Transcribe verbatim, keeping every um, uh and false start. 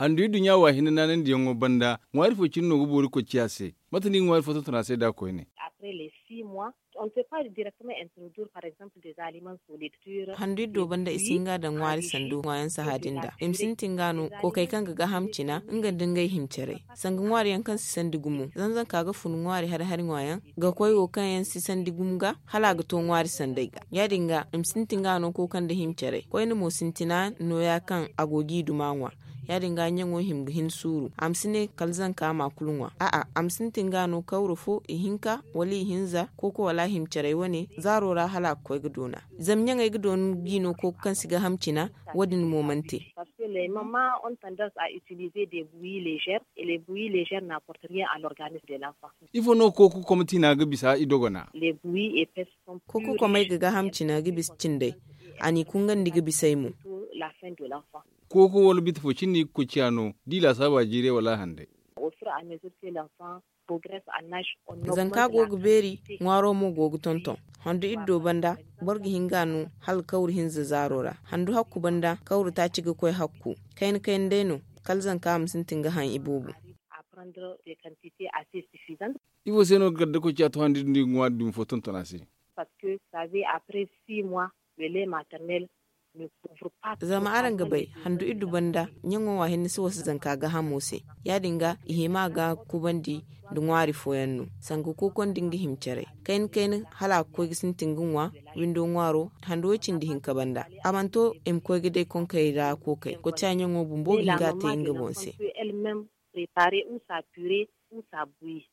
Handu iddu ɲa wa hinne naanandiyaŋo banda ŋwaari fo cine no ga boori koy ciya se. Mate no i ga ŋwaari fo tonton a se nd'a koyne? Handu iddo banda i si hin ga a daŋ ŋwaari sandu ŋwaayaŋ saha din da i ma sintin ga no kookey kaŋ ga gaaham cina nga nda ngey himcaray. Sanga ŋwaari yaŋ kaŋ si sandi gumo zanzanka ga fun ŋwaari hari hari ŋwaayaŋ ga koy wo kaŋ yaŋ si sandi gumo ga hala a ga to ŋwaari sanday ga. Ya- din ga i ma sintin ga no kooka nda himcaray koyne mo sintina nooya kaŋ a go g'i duma ŋwa. Ya- din ga ɲaŋo hima ga hin suuru a ma si ne kala zanka ma kulu ŋwa a'a a ma sintin ga no kawra fo ihinka wala ihinza kooko wala himcaray wane zaaro ra hala a ga koy ga doona. Zama ɲaŋey ga doona g'i no kooka kaŋ si gaaham cina. Wo- din mo mana te. Ifo no kooka komey ga bisa i dogona? Kooka komey ga gaaham cina ga bisa cindey. A n'i kungandi ga bisey mo. Kooka wala biti fo cine no i ga koy ciya no da i laasaaba jiiray wala a handay? Zanka go ga beeri ŋwaaro mo go ga tonton. Handu iddo banda boro ga hin ga a no hala kawru hinza zaaro ra. Handu hakku banda kawru taaci ga koy hakku. Kayna kayna day no kala zanka ma sintin ga haŋ iboobo. Ifo se no ga gardakoy ciya to handi din no i ga ŋwaari dumi fo tonton a se? Zama araŋ ga bay handu iddu banda ɲaŋo ŋwa hinne si wasa zanka gaahamo se. Ya- din ga i hima ga kubandi nda ŋwaari fooyaŋ no sanga kooko nda nga himcaray kayna kayna hala a ga koy ga sintin ga ŋwa. Windo ŋwaaro handu way- cindi hinka banda a mana to i ma koy ga day konkey ra kookey koca ɲaŋo bumbo ga hin ga a te nga boŋ se. Préparer ou sa purée ou sa bouillir.